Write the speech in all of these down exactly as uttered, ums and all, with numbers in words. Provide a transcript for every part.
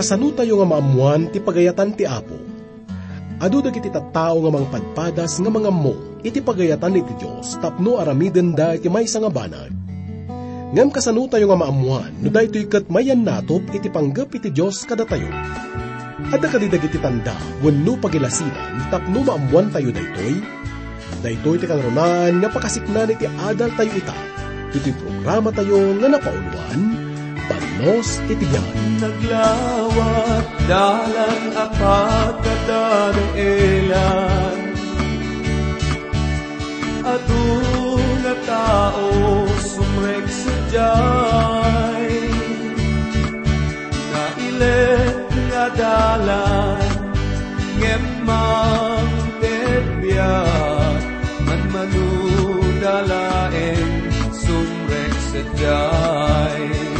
Kasanotayo nga maammoan ti pagayatan ti Apo? Adu dagiti tattao nga mangpadpadas nga mangammo iti pagayatan iti Dios tapno aramidenda iti maysa nga banag. Ngem kasanotayo nga maammoan no daytoy ket mayannatop iti panggep iti Dios kadatayo? Adda kadi dagiti tanda wenno pagilasinan tapno maammoantayo daytoy? Daytoy ti kangrunaan nga pakasiknan iti adaltayo ita, iti programatayo nga napauluan, Bannos iti Biag. Naglawat dalan a pagkadadaelan. Adu nga tao sumrek sadiay. Nailet nga dalan, ngem mangted biag, manmanuda laeng sumrek sadiay.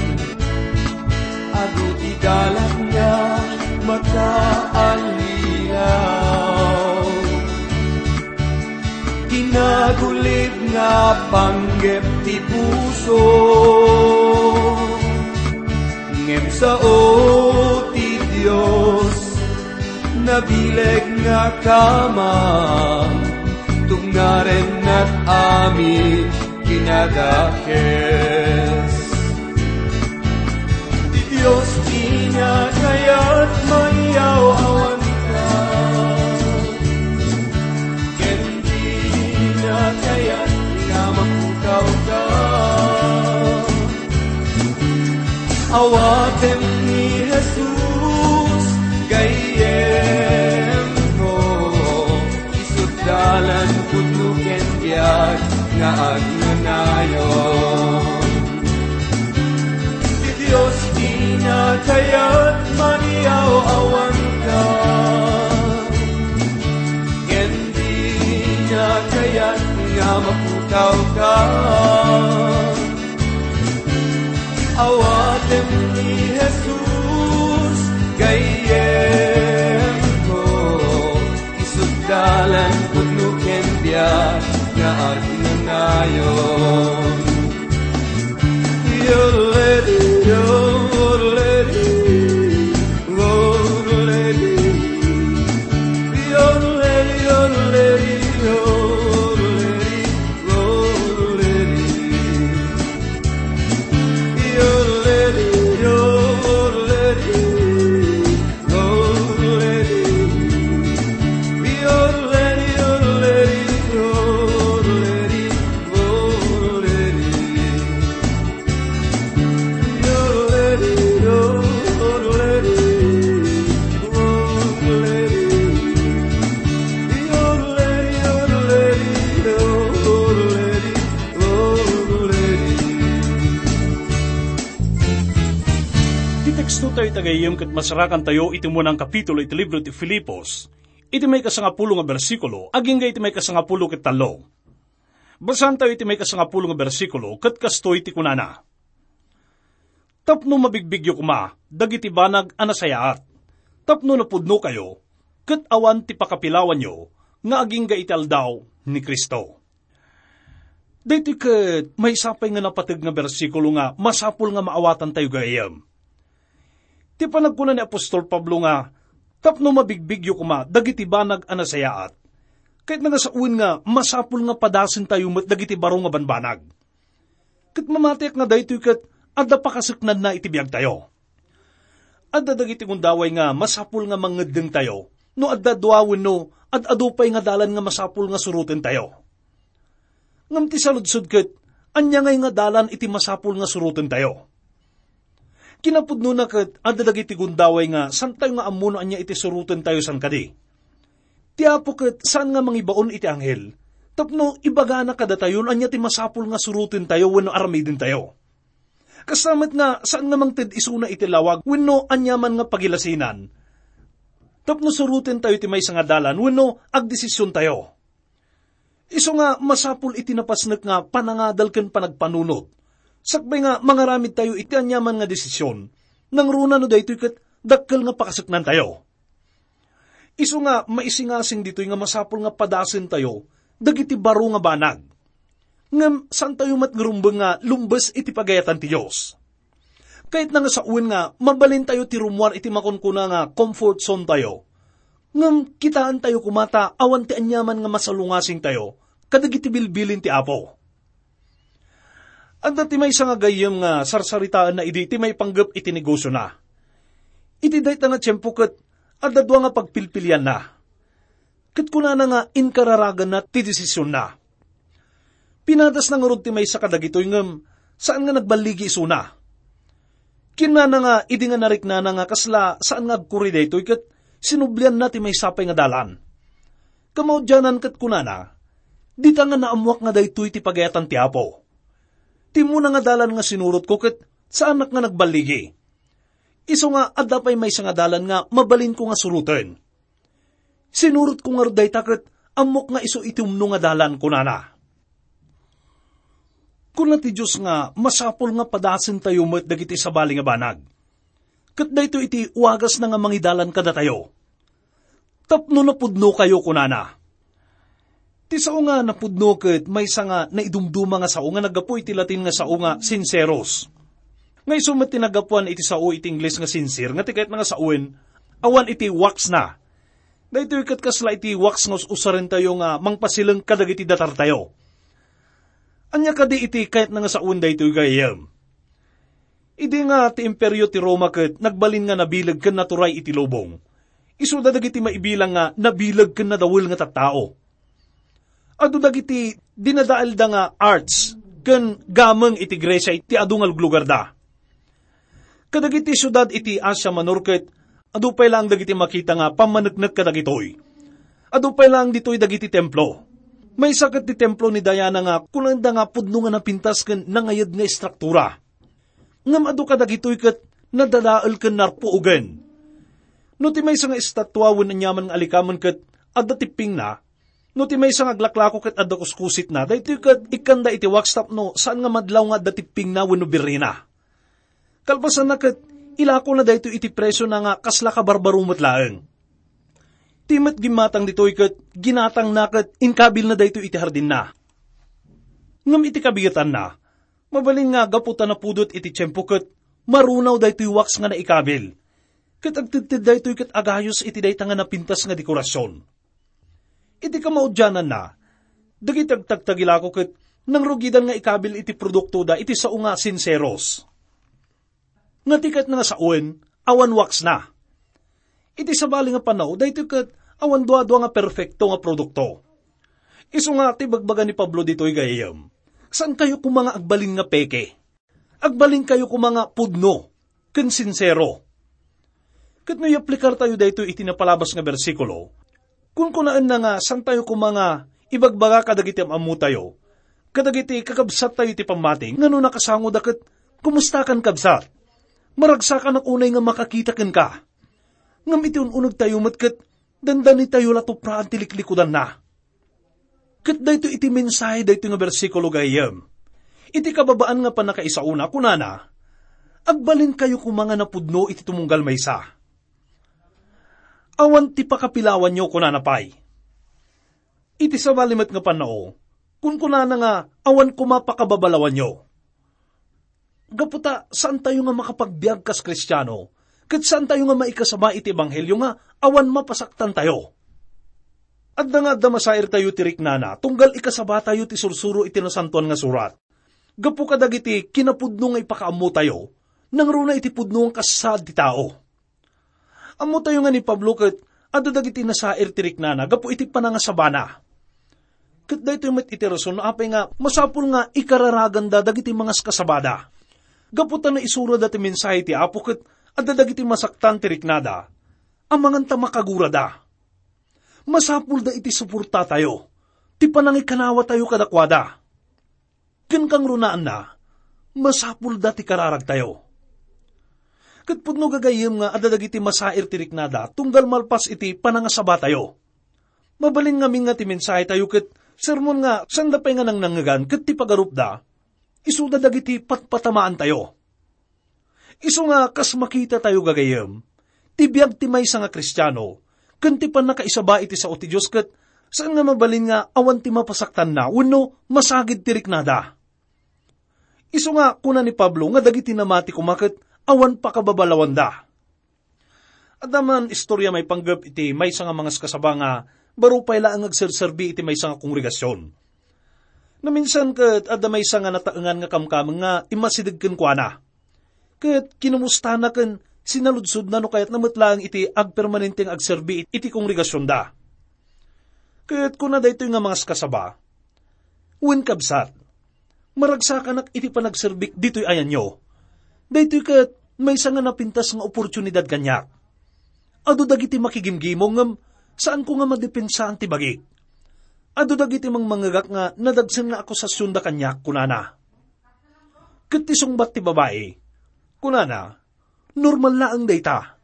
Adu ti dalan nga makaallilaw. Kinagulib nga panggep ti puso, ngem sao ti Dios, nabileg nga kamang, tungaren nat-amin kinadakes. Ti Dios ti nakayat, maniaw-awanka. Ken di nakayat nga mapukawka. Awatem ni Jesus, gayyemko. Isu't dalan, pudno ken biag nga agnanayon. Ti Dios ti nakayat, maniaw-awanka. Ken di nakayat nga mapukawka. Awatem ni Jesus, gayyemko. Isu't dalan, pudno ken biag nga agnanayon. Your lady, your lady, your lady. Your lady, your lady, your lady, your lady. Your lady, your lady. Ti teksto tayo ita gayyem ket masarakantayo iti umuna a kapitulo iti libro ti Filipos, iti maikasangapulo nga bersikulo agingga iti maikasangapulo ket tallo. Basaantayo iti maikasangapulo nga bersikulo ket kastoy ti kunana, "Tapno mabigbigyo koma dagiti banag a nasayaat, tapno napudnokayo, ket awan ti pakapilawanyo nga agingga iti aldaw ni Cristo." Daytoy ket maysa pay nga napateg nga bersikulo nga masapul nga maawatantayo gayyem. Ti panagkuna ni apostol Pablo nga, "Tapno mabigbigyo koma dagiti banag a nasayaat," ket nagasawen nga masapul nga padasentayo met dagiti baro nga banbanag. Ket mamatiek nga daytoy ket adda pakaseknanna iti biagtayo. Adda dagiti gundaway nga masapul nga mangeddengtayo no adda dua wenno ad-adu pay nga dalan nga masapul nga surotentayo. Ngem ti saludsod ket, ania ngay nga dalan iti masapul nga surotentayo? Kinapudnona ket adda dagiti gundaway nga saantayo nga ammo no ania iti surotentayo saan kadi. Ti Apo ket saan nga mangibaon iti anghel tapno ibagana kadatayo no ania ti masapul nga surotentayo wenno aramidentayo. Kasta met nga saan nga mangted isuna iti lawag wenno aniaman nga pagilasinan tapno surotentayo ti maysa nga dalan wenno agdesisiontayo. Isu nga masapul iti napasnek nga panangadal ken panagpanunot, sakbay nga mangaramidtayo iti aniaman nga desisyon, nangruna no daytoy ket dakkel nga pakaseknantayo. Isu nga maisingasing ditoy nga masapul nga padasentayo dagiti baro nga banag. Ngem saantayo met nga rumbeng nga lumbes iti pagayatan ti Dios. Kayatna nga sawen nga mabalintayo ti rummuar iti makunkuna nga comfort zone tayo. Ngem kitaentayo koma ta awan ti aniaman nga masalungasingtayo kadagiti bilbilin ti Apo. Adda ti maysa nga gayyem nga sarsaritaenna idi ti maipanggep iti negosiona. Iti dayta nga tiempo ket adda dua nga pagpilpilianna. Ket kunana nga inkararaganna ti desisionna. Pinadasna ngarud ti maysa kadagitoy ngem saan nga nagballigi isuna. Kinnana nga idi nga nariknana nga kasla saan nga agkuri daytoy ket sinublianna ti maysa pay nga dalan. Kamaudianan ket kunana, "Dita nga naammuak nga daytoy ti pagayatan ti Apo. Ti immuna nga dalan nga sinurotko ket saanak nga nagballigi. Isu nga adda pay maysa nga dalan nga mabalinko nga suroten." Sinurotko ngarud dayta ket ammok nga isu iti umno nga dalan, kunana. Kuna ti Dios nga masapul nga padasentayo met dagiti sabali nga banag. Ket daytoy iti wagasna nga mangidalan kadatayo. Tapno napudnokayo, kunana. Ti sao nga napudno ket maysa nga naidumduma nga sao nga naggapu iti Latin nga sao nga sinceros. Nga isu met ti naggapuan iti sao iti Ingles nga sincere, nga ti kayatna nga sawen, awan iti wax na. Daytoy ket kasla iti wax nga us-usarentayo nga mangpasileng kadagiti datartayo. Ania kadi iti kayatna nga sawen daytoy, gayyem? Idi nga ti Imperio ti Roma ket nagbalin nga nabileg ken naturay iti lubong, isuda dagiti maibilang nga nabileg ken nadawel nga tattao. Adu dagiti dinadaelda nga arts ken gameng iti Grecia iti adu nga luglugarda. Kadagiti siudad iti Asia Minor ket adu pay laeng dagiti makita nga pammaneknek kadagitoy. Adu pay laeng ditoy dagiti templo. Maysa ket ti templo ni Diana nga kunaenda nga pudno nga napintas ken nangayed nga istruktura. Ngem adu kadagitoy ket nadadael ken narpuogen. No ti maysa nga estatua wenno aniaman nga alikamen ket adda tippingna, no ti maysa nga aglaklako ket adda kuskusitna, daytoy ket ikkanda iti wax tapno saan nga madlaw nga adda tippingna wenno birrina. Kalpasanna ket ilakona daytoy iti presiona nga kasla kabarbaro met laeng. Ti met gimmatang ditoy ket ginatangna ket inkabilna daytoy iti hardinna. Ngem iti kabigetanna, mabalin nga gapu ta napudot iti tiempo ket marunaw daytoy wax nga naikabil. Ket agtedted daytoy ket agayos iti dayta nga napintas nga dekorasion. Iti kamaudiananna, dagiti agtagtagilako ket nangrugidan nga ikabil iti produktoda iti sao nga sinseros. Nga ti ket nga sawen, awan waxna. Iti sabali nga panaw, daytoy ket awan duadua nga perfekto nga produkto. Isu nga ti bagbaga ni Pablo ditoy, gayyem, saankayo koma nga agbalin nga peke. Agbalinkayo koma nga pudno ken sinsero. Ket no iaplikartayo daytoy iti napalabas nga bersikulo, kunkunaenna nga saantayo koma nga ibagbaga kadagiti am-ammotayo, kadagiti kakabsattayo iti pammati, nga no nakasangoda ket, "Kumustakan, kabsat? Maragsakanak unay nga makakita kenka." Ngem iti un-unegtayo met ket dandanitayo la tupraan ti liklikudanna. Ket daytoy iti mensahe daytoy nga bersikulo, gayyem. Iti kababaan nga pannakaisaona, kunana, "Agbalinkayo koma nga napudno iti tumunggal maysa." Awan ti pakapilawanyo, kunana pay. Iti sabali met nga pannao, kunkunana nga awan koma pakababalawanyo. Gapu ta saantayo nga makapagbiag kas Kristiano, ket saantayo nga maikasaba iti ebanghelio nga awan mapasaktantayo. Adda nga adda masairtayo ti riknana, tunggal ikasabatayo ti sursuro iti Nasantoan nga Surat. Gapu kadagiti kinapudno nga ipakaammotayo, nangruna iti pudno nga kas saad ti tao. Ammotayo nga ni Pablo ket adda dagiti nasair ti riknana gapu iti panangasabana. Ket daytoy met iti rason no apay nga masapul nga ikararaganda dagiti mangaskasabada. Gapu ta naisurada ti mensahe ti Apo ket adda dagiti masaktan ti riknada, amangan ta makagurada. Masapulda iti suportatayo, ti panangikanawatayo kadakuada. Ken kangrunaanna, masapulda ti kararagtayo. Ket pudno, gagayyem, nga adda dagiti masair ti riknada tunggal malpas iti panangasabatayo. Mabalin ngamin nga ti mensahetayo ket sermon nga sanda pay nga nangnangngegan ket ti pagarupda, isuda dagiti patpatamaantayo. Isu nga kas makitatayo, gagayyem, ti biag ti maysa nga Kristiano ken ti pannakaisaba iti sao ti Dios ket saan nga mabalin nga awan ti mapasaktanna wenno masagid ti riknada. Isu nga kuna ni Pablo nga dagiti namati koma ket awan pakababalawanda. Adda man istorya maipanggep iti maysa nga mangaskasaba nga baro pay laeng agserserbi iti maysa nga kongregasion. Naminsan ket adda maysa nga nataengan nga kamkameng nga immasideg kenkuana. Ket kinumustana ken sinaludsodna no kayatna met laeng iti agpermanente nga agserbi iti kongregasionda. Ket kuna daytoy nga mangaskasaba, "Wen, kabsat, maragsakanak iti panagserbik ditoy ayanyo. Daytoy ket maysa nga napintas nga oportunidad kaniak. Adu dagiti makigimgimong ngem saanko nga madepensaan ti bagik. Adu dagiti mangmangngegak nga nadagsen nga akusasionda kaniak," kunana. Ket ti sungbat ti babai, kunana, "Normal laeng dayta.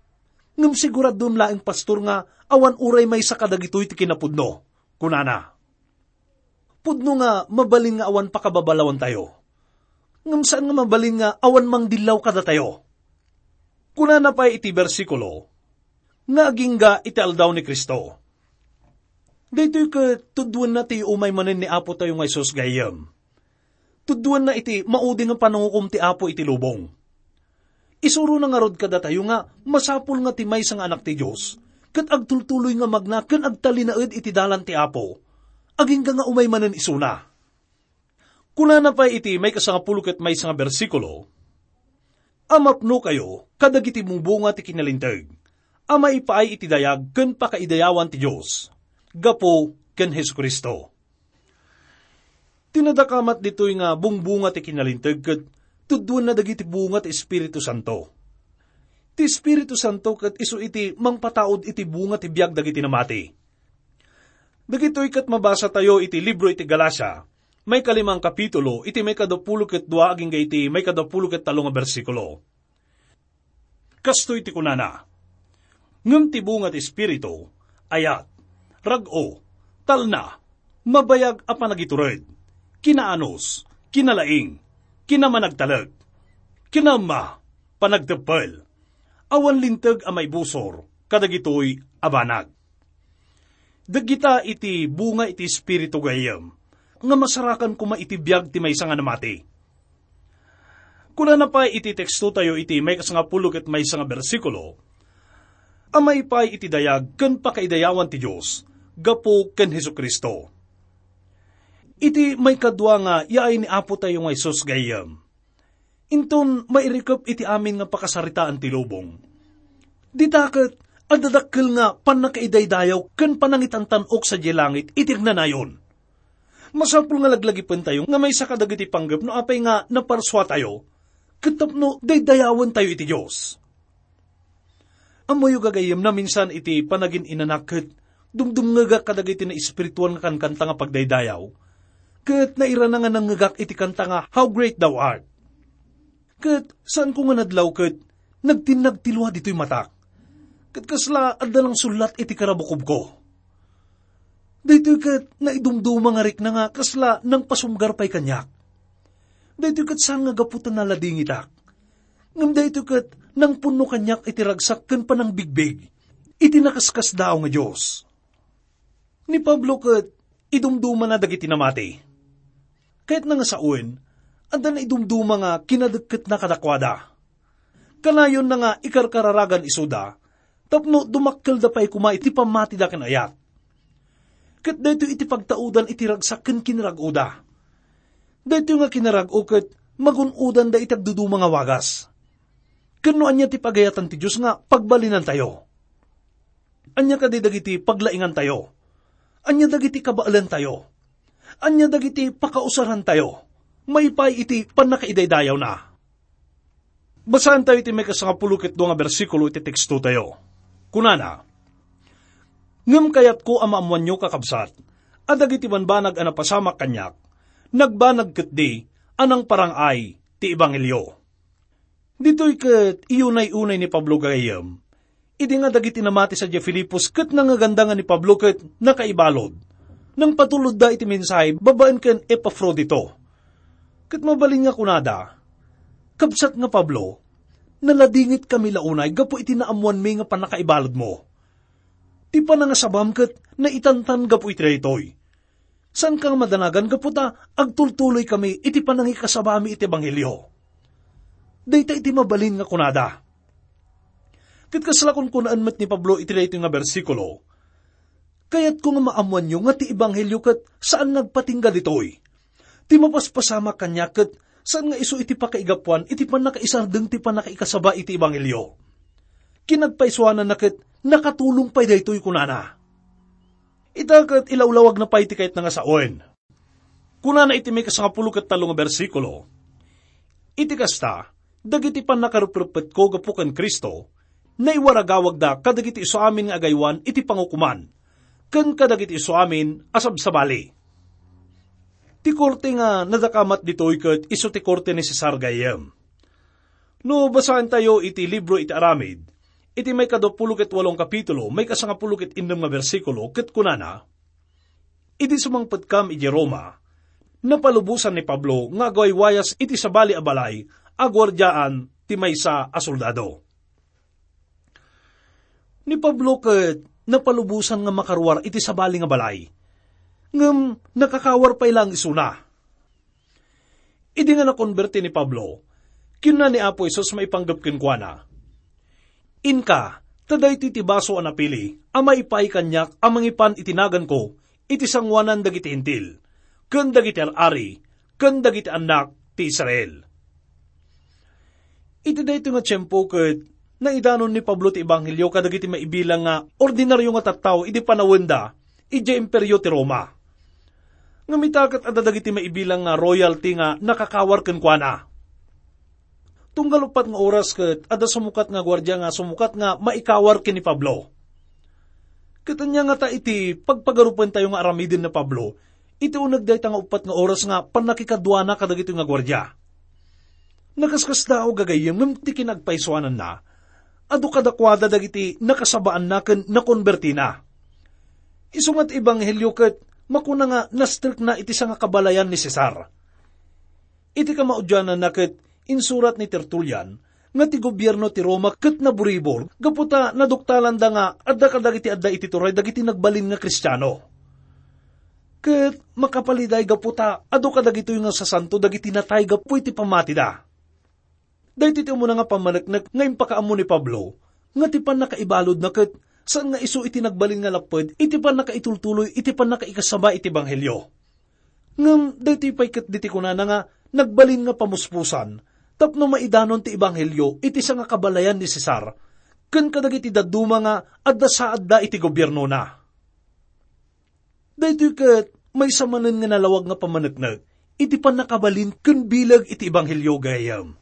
Ngem siguradom laeng, pastor, nga awan uray maysa kadagitoy ti kinapudno," kunana. Pudno nga mabalin nga awan pakababalawantayo. Ngem saan nga mabalin nga awan mangdillaw kadatayo. Kunana pay iti bersikulo nga agingga iti aldaw ni Cristo. Daytoy ket tuddoenna ti umay manen ni Apo tayo nga Jesus gayyem. Tuddoenna iti maudi nga panangukom ti Apo iti lubong. Isurona ngarud kadatayo nga masapul nga ti maysa nga anak ti Dios ket agtultuloy nga magna ken agtalinaed iti dalan ti Apo, agingga nga umay manen isuna. Kunana pay iti maikasangapulo ket maysa nga bersikulo, "A mapnokayo kadagiti bungbunga ti kinalinteg a maipaay iti dayag ken pakaidayawan ti Dios gapu ken Jesu-Cristo." Ti nadakamat ditoy nga bungbunga ti kinalinteg ket tuddoenna dagiti bunga ti Espiritu Santo. Ti Espiritu Santo ket isu iti mangpataud iti bunga ti biag dagiti namati. Dagitoy ket mabasatayo iti libro iti Galacia, maikalimang kapitulo, iti maikadapulo ket dua agingga iti maikadapulo ket tallo nga bersikulo. Kastoy ti kunana, "Ngem ti bunga ti Espiritu, ayat, rag-o, talna, mabayag a panagitured, kinaanus, kinalaing, kinamanagtalek, kinaemma, panagteppel, awan linteg a maibusor kadagitoy a banag." Dagita iti bunga iti Espiritu gayyem, nga masarakan koma iti biag ti maysa nga namati. Kunana pay iti tekstotayo iti maikasangapulo ket maysa nga bersikulo, a maipaay iti dayag ken pakaidayawan ti Dios gapu ken Jesu-Cristo. Iti maikadua nga yaay ni Apo tayo nga Jesus gayyem, inton mairikep iti amin nga pakasaritaan ti lubong. Dita ket adda dakkel nga pannakaidaydayaw ken panangitantan-ok sadiay langit iti agnanayon. Masapul nga laglagipentayo nga maysa kadagiti panggep no apay nga naparsuatayo ket tapno daydayawentayo iti Dios. Ammoyo, gagayyem, naminsan iti panagin-inanak ket dumdumngegak kadagiti naespirituan nga kankanta nga pagdaydayaw, ket nairana nga nangngegak iti kanta nga "How Great Thou Art." Ket saanko nga nadlaw ket nagtinnag ti lua ditoy matak, ket kasla adda nangsullat iti karabukobko. Daytoy ket naidumduma nga rikna nga kasla nangpasumgar pay kaniak. Daytoy ket saan nga gapu ta naladingitak, ngem daytoy ket nangpunno kaniak iti ragsak ken panangbigbig iti nakaskasdaaw nga Dios. Ni Pablo ket idumdumana dagiti namati. Kayatna nga sawen, adda naidumduma nga kinadekketna kadakuada. Kanayonna nga ikarkararagan isuda tapno dumakkelda pay koma iti pammatida ken ayat. Ket daytoy iti pagtaudan iti ragsak ken kinarag-oda. Daytoy nga kinarag-o ket magun-odanda iti agduduma nga wagas. Ken no ania ti pagayatan ti Dios nga pagbalinantayo? Ania kadi dagiti paglaingantayo? Ania dagiti kabaelantayo? Ania dagiti pakausarantayo maipaay iti pannakaidaydayawna? Basaentayo iti maikasangapulo ket dua nga bersikulo iti tekstotayo. Kunana, "Ngem kayatko a maammoanyo, kakabsat, a dagiti banbanag a napasamak kaniak, nagbanag ketdi a nangparang-ay ti ebanghelio." Ditoy ket iyunay-unay ni Pablo gayyem. Idi nga dagiti namati sadiay Filipos ket nangngeganda nga ni Pablo ket nakaibalud, nangpatulodda iti mensahe babaen ken Epafrodito. Ket mabalin nga kunada, "Kabsat nga Pablo, naladingitkami la unay gapu iti naammoanmi nga pannakaibaludmo. Ti panangasabam ket naitantan gapu iti daytoy. Saanka nga madanagan gapu ta agtultuloykami iti panangikasabami iti ebanghelio." dayta iti mabalin nga kunada. Ket kasla kunkunaan met ni Pablo iti daytoy nga bersikulo, "Kayatko nga maammoanyo nga ti ebanghelio ket saan nga agpatingga ditoy. Ti mapaspasamak kaniak ket saan nga isu iti pakaigapuan iti pannakaisardeng ti pannakaikasaba iti ebanghelio." Kinagpaisuananna ket nakatulong pay daytoy, kunana. Ita ket ilawlawagna pay ti kayatna nga sawen. Kunana iti maikasangapulo ket tallo nga bersikulo, "Iti kasta, dagiti pannakaruprupetko gapu ken Cristo, naiwaragawagda kadagiti isuamin nga agaywan iti pangukoman, ken kadagiti isuamin a sabsabali." Ti korte nga nadakamat ditoy ket isu ti korte ni Cesar gayyem. No basaentayo iti libro iti Aramid, iti maikaduapulo ket walong kapitulo, maikasangapulo ket innem nga bersikulo, ket kunana, "Idi sumangpetkam iti Roma, napalubosan ni Pablo nga agwaywayas iti sabali a balay a guardiaan ti maysa a soldado." Ni Pablo ket napalubosan nga makaruar iti sabali nga balay, ngem nakakawar pay laeng isuna. Idi nga nakonberti ni Pablo, kinuna ni Apo Jesus maipanggep kenkuana, "Inka, ta daytoy ti baso a napili a maipaay kaniak a mangipan iti naganko iti sangoanan dagiti Hentil, ken dagiti ar-ari, ken dagiti annak ti Israel." Iti daytoy nga tiempo ket naidanon ni Pablo ti ebanghelio kadagiti maibilang nga ordinario nga tattao idi panawenda idiay Imperio ti Roma. Ngem ita ket adda dagiti maibilang nga royalty nga nakakawar kenkuana. Tunggal uppat nga oras ket adda sumukat nga guardia nga sumukat nga maikawar ken ni Pablo. Ket ania ngata iti pagpagarupentayo nga aramiden ni Pablo iti uneg dayta nga uppat nga oras nga pannakikaduana kadagitoy nga guardia? Nakaskasdaaw gagayyem ngem ti kinagpaisuananna, adu kadakuada dagiti nakasabaanna ken nakonbertina. Isu nga ti ebanghelio ket makuna nga nastrekna iti sangakabalayan ni Cesar. Iti kamaudiananna ket insurat ni Tertulian nga ti gobierno ti Roma ket naburibor gapu ta naduktalanda nga adda kadagiti adda iti turay dagiti nagbalin nga Kristiano. Ket makapaliday gapu ta adu kadagitoy nga sasanto dagiti natay gapu iti pammatida. Daytoy ti umuna nga pammaneknek nga impakaammo ni Pablo nga ti pannakaibaludna ket saan nga isu iti nagbalin nga lapped iti pannakaitultuloy iti pannakaikasaba iti ebanghelio. Ngem daytoy pay ket diti kunana nga nagbalin nga pamuspusan tapno maidanon ti ebanghelio iti sangakabalayan ni Cesar ken kadagiti dadduma nga adda saadda iti gobiernona. Daytoy ket maysa manen nga nalawag nga pammaneknek iti pannakabalin ken bileg iti ebanghelio gayam.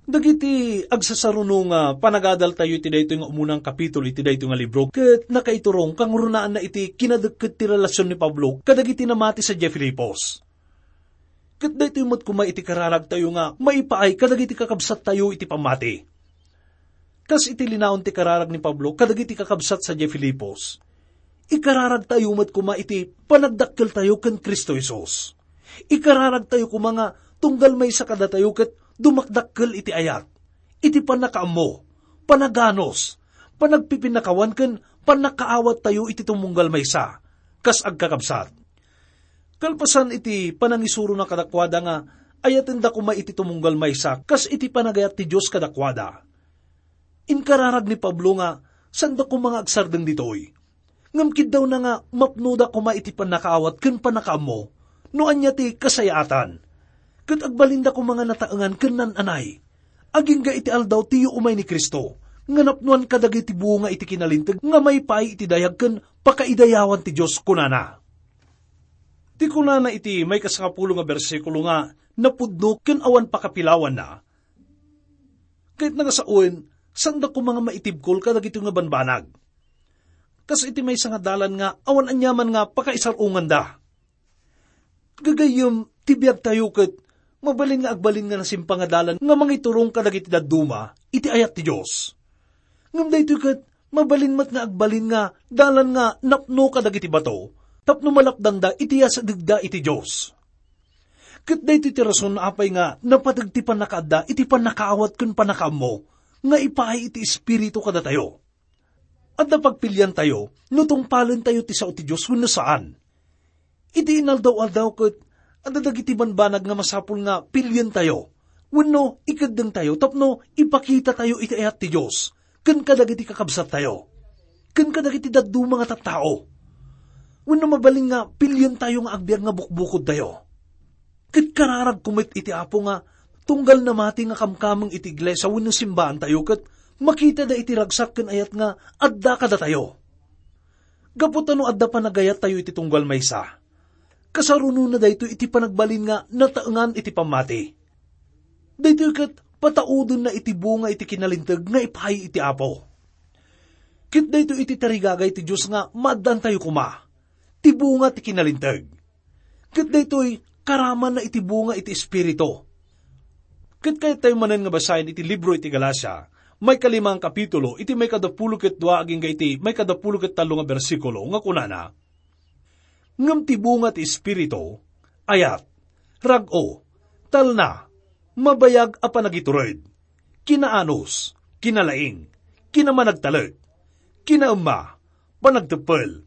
Dagiti agsasaruno nga panagadaltayo iti daytoy nga umunang kapitulo iti daytoy nga libro ket nakaiturong kangrunaan na iti kinadekket ti relasion ni Pablo kadagiti namati sadiay Filipos. Ket daytoy met koma iti kararagtayo nga maipaay kadagiti kakabsattayo iti pammati. Kas iti linaon ti kararag ni Pablo kadagiti kakabsat sadiay Filipos, ikararagtayo met koma iti panagdakkeltayo ken Cristo Jesus. Ikararagtayo koma nga tunggal maysa kadatayo ket dumakdakkel iti ayat, iti pannakaammo, panaganus, panagpipinnakawan ken pannakaawattayo iti tumunggal maysa, kas agkakabsat. Kalpasan iti panangisurona kadakuada nga ayatenda koma iti tumunggal maysa kas iti panagayat ti Dios kadakuada. Inkararag ni Pablo nga sanda koma nga agsardeng ditoy. Ngem kiddawna nga mapnoda koma iti pannakaawat ken pannakaammo no ania ti kasayaatan. Ket agbalinda koma nga nataengan ken nan-anay. Agingga iti aldaw ti yuumay ni Cristo, nga napnoan kadagiti bunga iti kinalinteg nga maipaay iti dayag ken pakaidayawan ti Dios, kunana. Ti kunana iti maikasangapulo nga bersikulo nga napudno ken awan pakapilawanna, kayatna nga sawen, sanda koma nga maitibkol kadagitoy nga banbanag. Kas iti maysa nga dalan nga awan aniaman nga pakaisar-onganda. Gagayyem, ti biagtayo ket mabalin nga agbalin nga nasimpa nga dalan nga mangiturong kadagiti dadduma iti ayat ti Dios. Ngem daytoy ket mabalin met nga agbalin nga dalan nga napno kadagiti bato tapno malapdanda iti yasadegda iti Dios. Ket daytoy ti rason apay nga napateg ti pannakaadda iti pannakaawat ken pannakaammo nga ipaay iti Espiritu kadatayo. Adda pagpiliantayo no tungpalentayo ti sao ti Dios wenno saan. Iti inaldaw-aldaw ket adda dagiti banbanag nga masapul nga pilientayo Wenno, ikeddengtayo tapno ipakitatayo iti ayat ti Dios ken kadagiti kakabsattayo, ken kadagiti dadduma nga tattao. Wenno, mabalin nga pilientayo nga agbiag nga bukbukodtayo. Ket kararagko met iti Apo nga tunggal namati nga kamkameng iti iglesia wenno simbaantayo, ket makitada iti ragsak ken ayat nga adda kadatayo. Gapu ta no adda panagayattayo iti tunggal maysa, kasarunona daytoy iti panagbalin nga nataengan iti pammati. Daytoy ket pataudenna iti bunga iti kinalinteg nga ipaay iti Apo. Ket daytoy iti tarigagay ti Dios nga maaddaantayo koma, ti bunga ti kinalinteg. Ket daytoy karamanna iti bunga iti Espiritu. Ket kayattayo manen nga basaen iti libro iti Galacia, maikalimang kapitulo, iti maikadapulo ket dua agingga iti maikadapulo ket tallo nga bersikulo, nga kunana, "Ngem ti bunga ti Espiritu, ayat, rag-o, talna, mabayag a panagitured, kinaanus, kinalaing, kinamanagtalek, kinaemma, panagteppel,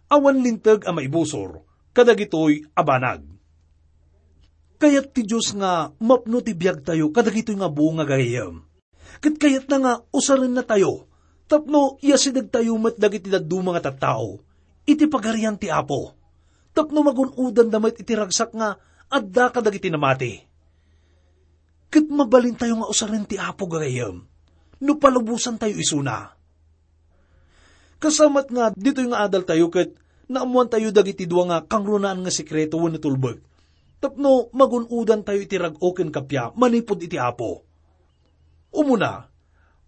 awan linteg a maibusor kadagitoy a banag." Kayat ti Dios nga mapno ti biagtayo kadagitoy nga bunga, gagayyem. Ket kayatna nga usarennatayo tapno iasidegtayo met dagiti dadduma nga tattao iti Pagarian ti Apo, tapno magun-odanda met iti ragsak nga adda kadagiti namati. Ket mabalintayo nga usaren ti Apo, gagayyem, no palubosantayo isuna. Kasamat nga ditoy nga adaltayo ket naammoantayo dagiti dua nga kangrunaan nga sekreto wenno tulbek tapno magun-odantayo iti rag-o ken kappia manipud iti Apo. Umuna,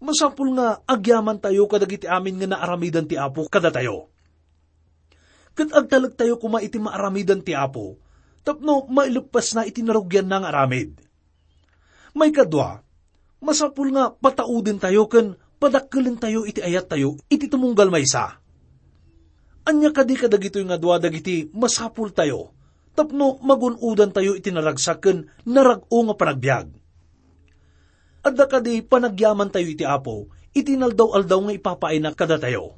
masapul nga agyamantayo kadagiti amin nga naaramidan ti Apo kadatayo. Ket agtalektayo koma iti maaramidan ti Apo tapno maileppasna iti narugianna nga aramid. Maikadua, masapul nga pataudentayo ken padakkelentayo iti ayattayo iti tumunggal maysa. Ania kadi kadagitoy nga dua dagiti masapultayo tapno magun-odantayo iti naragsak ken narag-o nga panagbiag? Adda kadi panagyamantayo iti Apo iti naldaw-aldaw nga ipapaayna kadatayo?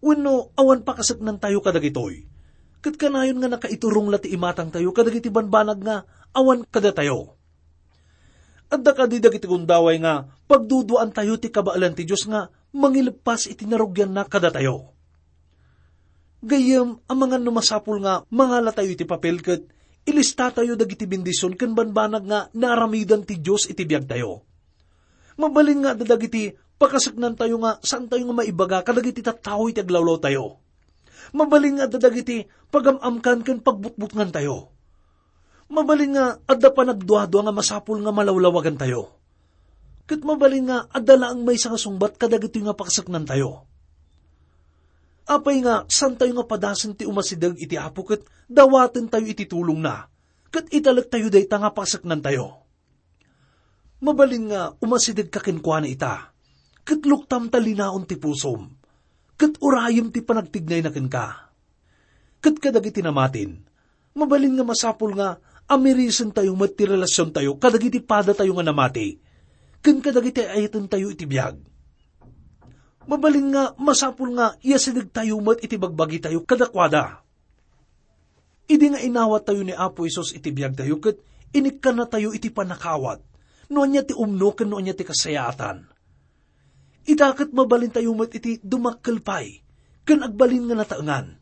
Wenno awan pakaseknantayo kadagitoy, ket kanayon nga nakaiturong la ti imatangtayo kadagiti banbanag nga awan kadatayo? Adda kadi dagiti gundaway nga pagduduaantayo ti kabaelan ti Dios nga mangileppas iti narugianna kadatayo? Gayyem, amangan no masapul nga mangalatayo iti papel ket ilistatayo dagiti bendision ken banbanag nga naaramidan ti Dios iti biagtayo. Mabalin nga adda dagiti pakaseknantayo nga saantayo nga maibaga kadagiti tattao iti aglawlawtayo. Mabalin nga adda dagiti pagam-amkan ken pagbutbutngantayo. Mabalin nga adda panagduadua nga masapul nga malawlawagantayo. Ket mabalin nga adda laeng maysa nga sungbat kadagitoy nga pakaseknantayo. Apay nga saantayo nga padasen ti umasideg iti Apo ket dawatentayo iti tulongna, ket italektayo dayta nga pakaseknantayo? Mabalin nga umasidegka kenkuana ita, ket luktam ta linaon ti pusom, ket urayem ti panagtignayna kenka. Ket kadagiti namatin, mabalin nga masapul nga amirisentayo met ti relasiontayo kadagiti padatayo nga namati, ken kadagiti ayatentayo iti biag. Mabalin nga masapul nga iasidegtayo met iti bagbagitayo kadakuada. Idi nga inawattayo ni Apo Jesus iti biagtayo ket inikkannatayo iti pannakaawat, no ania ti umno ken no ania ti kasayaatan. Ita ket mabalintayo met iti dumakkel pay ken agbalin nga nataengan.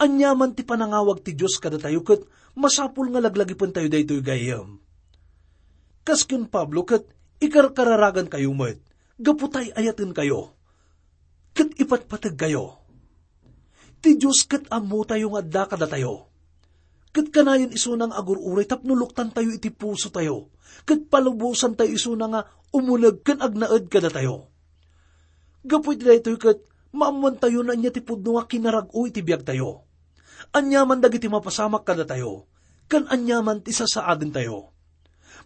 Aniaman ti panangawag ti Dios kadatayo ket masapul nga laglagipentayo daytoy, gayyem. Kas ken Pablo ket ikarkararagankayo met gapu ta ay-ayatenkayo ket ipatpategkayo. Ti Dios ket ammotayo nga adda kadatayo. Ket kanayon isuna nga agur-uray tapno luktantayo iti pusotayo, ket palubosantayo isuna nga umuneg ken agnaed kadatayo. Gapu iti daytoy ket maammoantayo no ania ti pudno nga kinarag-o iti biagtayo. Aniaman dagiti mapasamak kadatayo, ken aniaman ti sasaadentayo.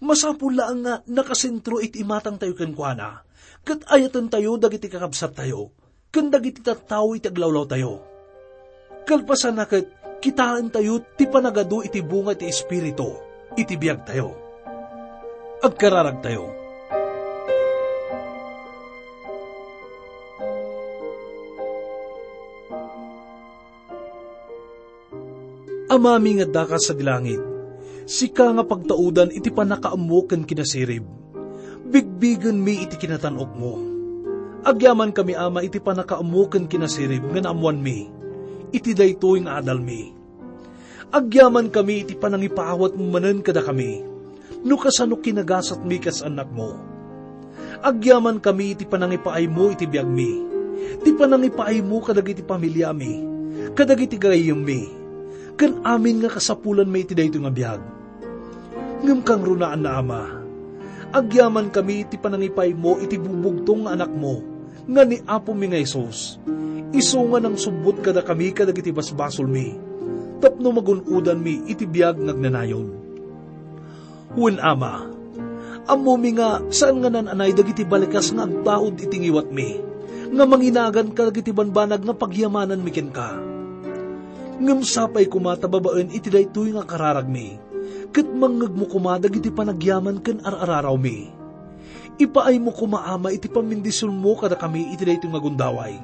Masapul laeng nga nakasentro iti imatangtayo kenkuana, ket ayatentayo dagiti kakabsattayo ken dagiti tattao iti aglawlawtayo. Kalpasanna ket kitaentayo ti panagadu iti bunga ti Espiritu iti biagtayo. Agkararagtayo. Amami nga addaka sadi langit, Sika nga pagtaudan iti pannakaammo ken kinasirib, bigbigenmi iti kinatan-okmo. Agyamankami, Ama, iti pannakaammo ken kinasirib nga naammoanmi iti daytoy nga adalmi. Agyamankami iti panangipaawatmo manen kadakami, no kasano kinagasatmi kas annakmo. Agyamankami iti panangipaaymo iti biagmi, ti panangipaaymo kadagiti familiami, kadagiti gayyemmi, ken amin nga kasapulanmi iti daytoy nga biag. Ngem kangrunaanna, Ama, agyamankami iti panangipaaymo iti bubugtong nga Anakmo, nga ni Apomi nga Jesus, isu nga nangsubbot kadakami kadagiti basbasolmi, tapno magun-odanmi iti biag nga agnanayon. Wen, Ama, ammomi nga saan nga naan-anay dagiti balikas nga agtaud iti ngiwatmi, nga manginagan kadagiti banbanag nga pagyamananmi kenka. Ngem sapay koma ta babaen iti daytoy nga kararagmi, ket mangngegmo koma dagiti panagyaman ken ar-ararawmi. Ipaaymo koma, Ama, iti pammendisionmo kadakami iti daytoy nga gundaway.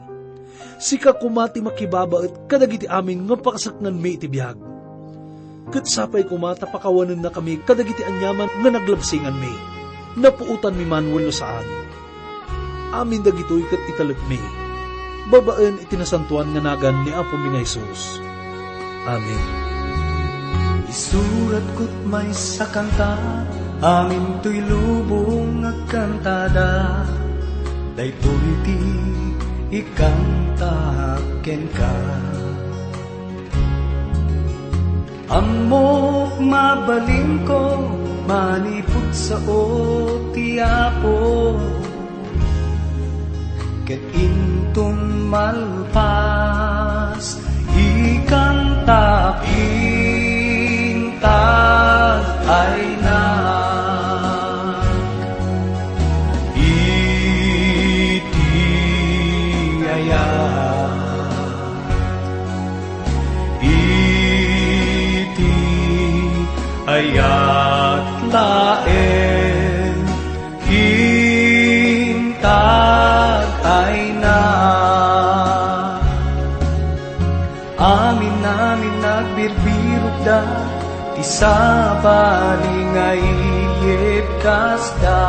Sika koma ti makibabaet kadagiti amin nga pakasaknganmi iti biag. Ket sapay koma ta pakawanennakami kadagiti aniaman nga naglabsinganmi, napuotanmi man wenno saan. Amin dagitoy ket italekmi babaen iti nasantoan nga nagan ni Apomi nga Jesus. Amen. Isuratko't maysa kanta, amin toy lubong agkantada, daytoy ti ikanta kenka. Ammok mabalinko, manipud sao ti Apo, ket inton malpas, ikantak intag aynak iti ayat. Iti ayat laeng intag aynak. Amin-amin nagbirbirokda ti sabali nga iyebbkasda,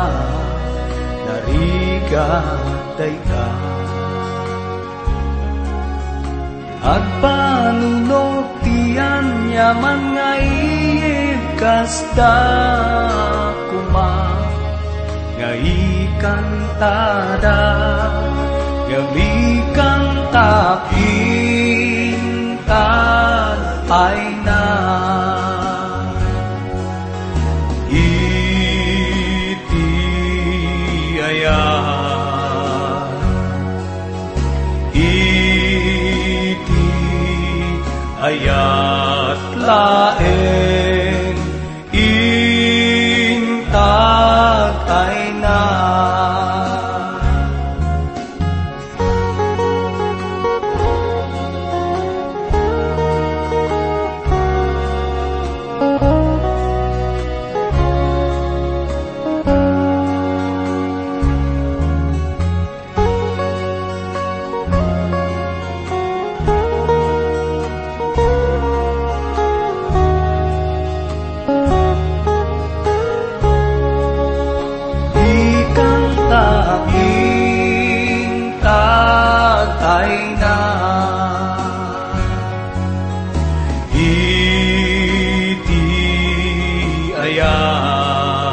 narigat dayta. Agpanunot ti aniaman nga iyebbkasda koma, nga ikantada, nga ikantak intag aynak. Iti ayat, iti ayat laeng intag aynak. Ikantak intag aynak iti ayat,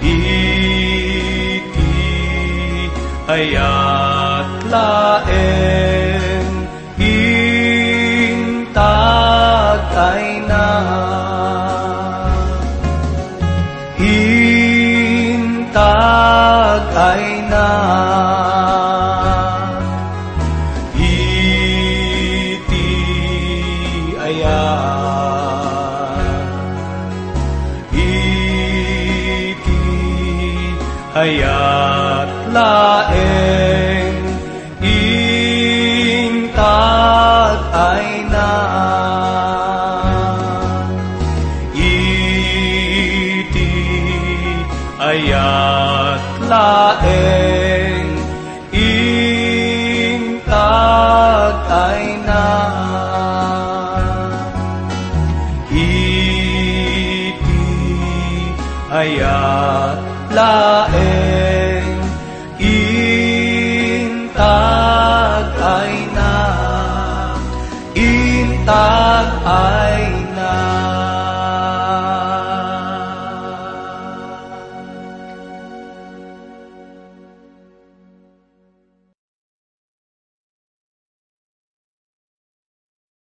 iti ayat laeng intag aynak. Intag aynak iti ayat, iti ayat laeng intag aynak. Iti ayat laeng intag aynak. Kayat laeng